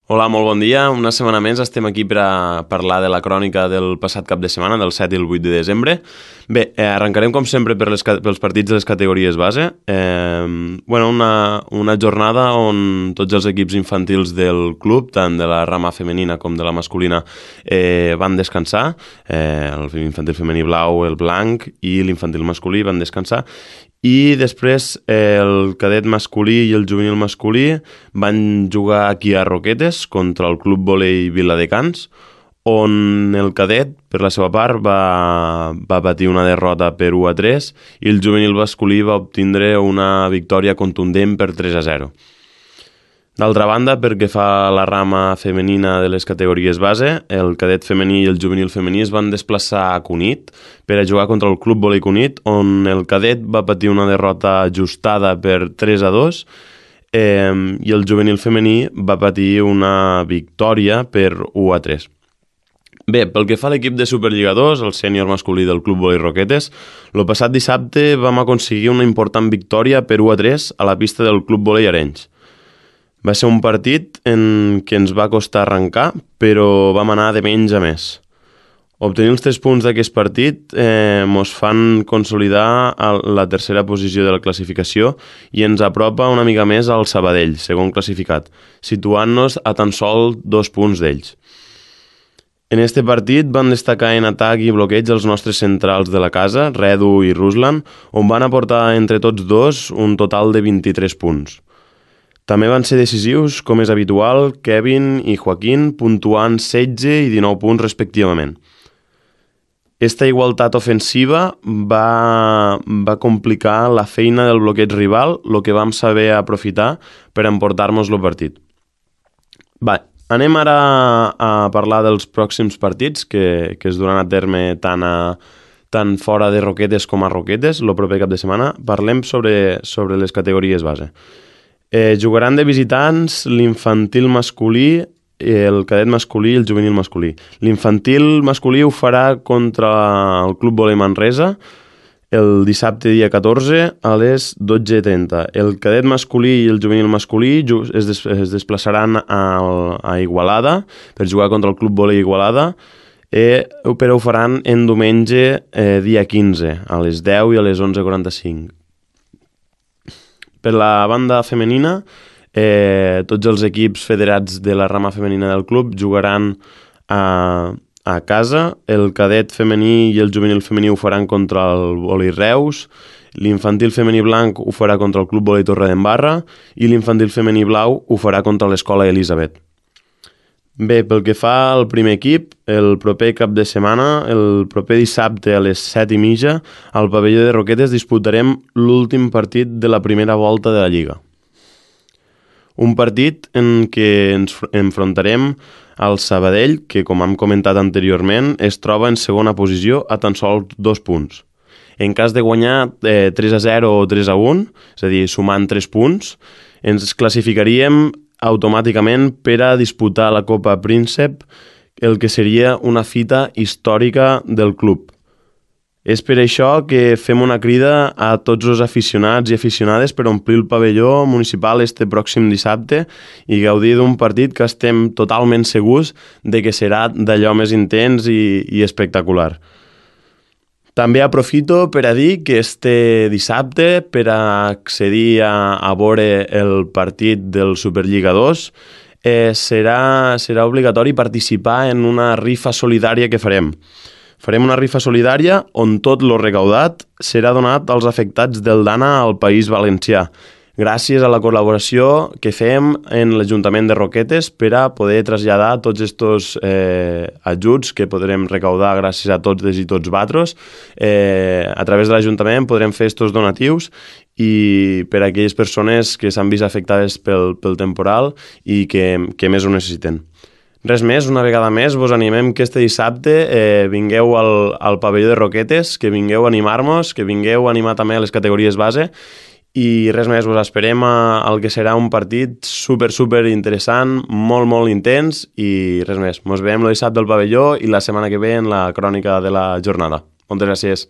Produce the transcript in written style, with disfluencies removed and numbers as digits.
Hola, molt bon dia. Una setmana més estem aquí per a parlar de la crònica del passat cap de setmana, del 7 i el 8 de desembre. Bé, arrencarem com sempre pels partits de les categories base. Una jornada on tots els equips infantils del club, tant de la rama femenina com de la masculina, van descansar. L'infantil femení blau, el blanc, i l'infantil masculí van descansar. I després el cadet masculí i el juvenil masculí van jugar aquí a Roquetes contra el Club Volei Viladecans, on el cadet, per la seva part, va patir una derrota per 1-3 i el juvenil masculí va obtindre una victòria contundent per 3-0. D'altra banda, perquè fa la rama femenina de les categories base, el cadet femení i el juvenil femení es van desplaçar a Cunit per a jugar contra el Club Volei Cunit, on el cadet va patir una derrota ajustada per 3-2 i el juvenil femení va patir una victòria per 1-3. Bé, pel que fa a l'equip de Superliga 2, el sènior masculí del Club Volei Roquetes, el passat dissabte vam aconseguir una important victòria per 1-3 a la pista del Club Volei Arenys. Va ser un partit en què ens va costar arrencar, però vam anar de menys a més. Obtenir els 3 punts d'aquest partit ens fan consolidar la tercera posició de la classificació i ens apropa una mica més al Sabadell, segon classificat, situant-nos a tan sol 2 punts d'ells. En este partit van destacar en atac i bloqueig els nostres centrals de la casa, Redu i Ruslan, on van aportar entre tots dos un total de 23 punts. També van ser decisius, com és habitual, Kevin i Joaquín, puntuant 16 i 19 punts respectivament. Esta igualtat ofensiva va complicar la feina del bloqueig rival, el que vam saber aprofitar per emportar-nos el partit. Anem ara a parlar dels pròxims partits que es duran a terme tant fora de Roquetes com a Roquetes, el proper cap de setmana. Parlem sobre les categories base. Jugaran de visitants l'infantil masculí, el cadet masculí i el juvenil masculí. L'infantil masculí ho farà contra el Club Volei Manresa el dissabte dia 14 a les 12:30. El cadet masculí i el juvenil masculí es desplaçaran a Igualada per jugar contra el Club Volei Igualada, però ho faran en diumenge dia 15 a les 10 i a les 11:45. Per la banda femenina, tots els equips federats de la rama femenina del club jugaran a casa. El cadet femení i el juvenil femení ho faran contra el Volei Reus, l'infantil femení blanc ho farà contra el Club Volei Torredembarra i l'infantil femení blau ho farà contra l'Escola Elisabet. Bé, pel que fa al primer equip, el proper cap de setmana, el proper dissabte a les 7:30, al pavelló de Roquetes disputarem l'últim partit de la primera volta de la Lliga. Un partit en què ens enfrontarem al Sabadell, que, com hem comentat anteriorment, es troba en segona posició a tan sols 2 punts. En cas de guanyar 3-0 o 3-1, és a dir, sumant 3 punts, ens classificaríem automàticament per a disputar la Copa Príncep, el que seria una fita històrica del club. És per això que fem una crida a tots els aficionats i aficionades per omplir el pavelló municipal este pròxim dissabte i gaudir d'un partit que estem totalment segurs de que serà d'allò més intens i espectacular. També aprofito per a dir que este dissabte, per a accedir a veure el partit del Superliga 2, serà obligatori participar en una rifa solidària que farem. Farem una rifa solidària on tot lo recaudat serà donat als afectats del Dana al País Valencià, gràcies a la col·laboració que fem en l'Ajuntament de Roquetes per a poder traslladar tots aquests ajuts que podrem recaudar gràcies a tots i tots vosaltres. A través de l'Ajuntament podrem fer aquests donatius i per a aquelles persones que s'han vist afectades pel temporal i que més ho necessiten. Res més, una vegada més, vos animem que este dissabte vingueu al pavelló de Roquetes, que vingueu a animar-nos, que vingueu a animar també a les categories base i res més, vos esperem al que serà un partit super interessant, molt intens i res més. Mos veiem el dissabte al pavelló i la setmana que ve en la crònica de la jornada. Moltes gràcies.